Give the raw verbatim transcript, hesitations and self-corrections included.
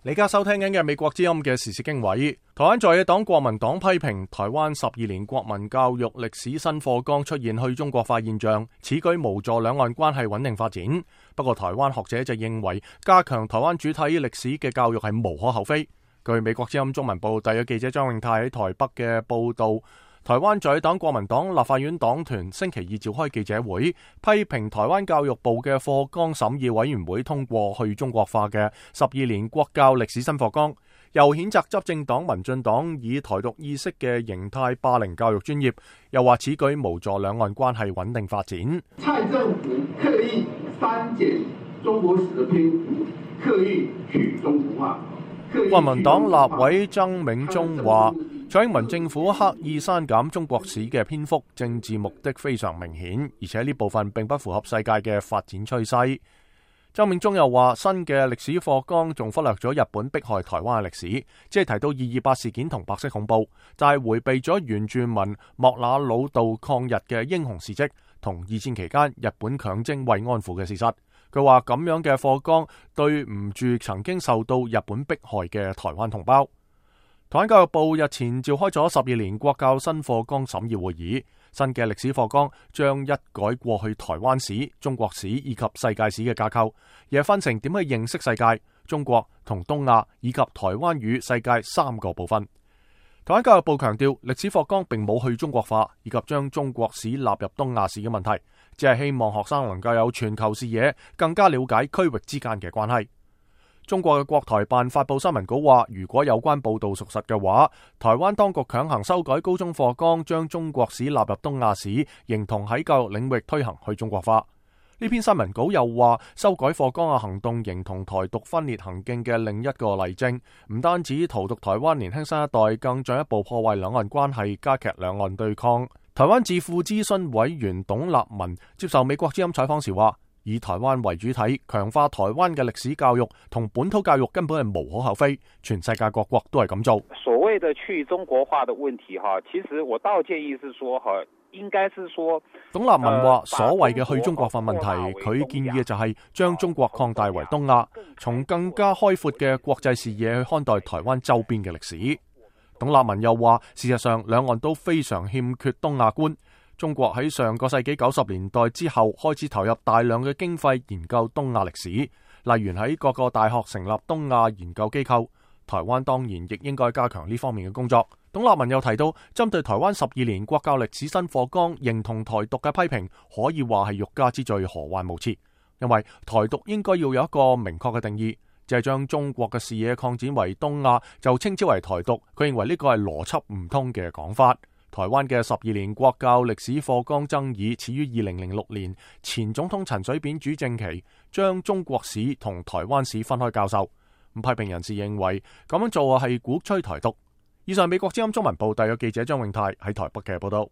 你家收聽緊嘅美國之音嘅時事經緯，台灣在野黨國民黨批評台灣十二年國民教育歷史新課綱出現去中國化現象，此舉無助兩岸關係穩定發展。不過台灣學者就認為加強台灣主體歷史嘅教育係無可厚非。據美國之音中文部特約記者張永泰喺台北嘅報道，台灣在野黨國民黨立法院黨團星期二召開記者會，批評台灣教育部嘅課綱審議委員會通過去中國化嘅十二年國教歷史新課綱，又譴責執政黨民進黨以台獨意識嘅形態霸凌教育專業，又話此舉無助兩岸關係穩定發展。蔡政府刻意刪減中國史的篇幅，刻意去中國化。國民黨立委曾銘忠話，蔡英文政府刻意刪減中國史嘅篇幅，政治目的非常明顯，而且呢部分並不符合世界嘅發展趨勢。曾銘忠又話，新嘅歷史課綱仲忽略咗日本迫害台灣嘅歷史，即係提到二二八事件同白色恐怖，但係迴避咗原住民莫那魯道抗日嘅英雄事蹟同二戰期間日本強徵慰安婦嘅事實。佢話咁樣嘅課綱對唔住曾經受到日本迫害嘅台灣同胞。台灣教育部日前召開咗十二年國教新課綱審議會議，新嘅歷史課綱將一改過去台灣史、中國史以及世界史嘅架構，而係分成點去認識世界、中國同東亞以及台灣與世界三個部分。台灣教育部強調，歷史課綱並冇去中國化以及將中國史納入東亞史嘅問題，只係希望學生能夠有全球視野，更加了解區域之間嘅關係。中國嘅國台辦發佈新聞稿話，如果有關報道屬實嘅話，台灣當局強行修改高中課綱，將中國史納入東亞史，形同喺教育領域推行去中國化。呢篇新聞稿又話，修改課綱嘅行動形同台獨分裂行徑嘅另一個例證，唔單止荼毒台灣年輕新一代，更進一步破壞兩岸關係，加劇兩岸對抗。台灣智庫諮詢委員董立文接受美國之音採訪時話，以台灣為主體，強化台灣嘅歷史教育同本土教育根本係無可厚非，全世界各國都係咁做。所謂的去中國化的問題，其實我倒建議是說，應該是說，董立文話所謂嘅去中國化問題，佢建議嘅就係將中國擴大為東亞，從更加開闊嘅國際視野去看待台灣周邊嘅歷史。董立文又話，事實上兩岸都非常欠缺東亞觀。中國喺上個世紀九十年代之後開始投入大量嘅經費研究東亞歷史，例如喺各個大學成立東亞研究機構。台灣當然亦應該加強呢方面嘅工作。董立文又提到，針對台灣十二年國教歷史新課綱認同台獨嘅批評，可以話係欲加之罪，何患無辭。因為台獨應該要有一個明確嘅定義，就係將中國嘅視野擴展為東亞，就稱之為台獨。佢認為呢個係邏輯唔通嘅講法。台灣嘅十二年國教歷史課綱爭議始於二零零六年，前總統陳水扁主政期將中國史同台灣史分開教授。批評人士認為咁樣做係鼓吹台獨。以上美國之音中文部特約記者張永泰喺台北嘅報道。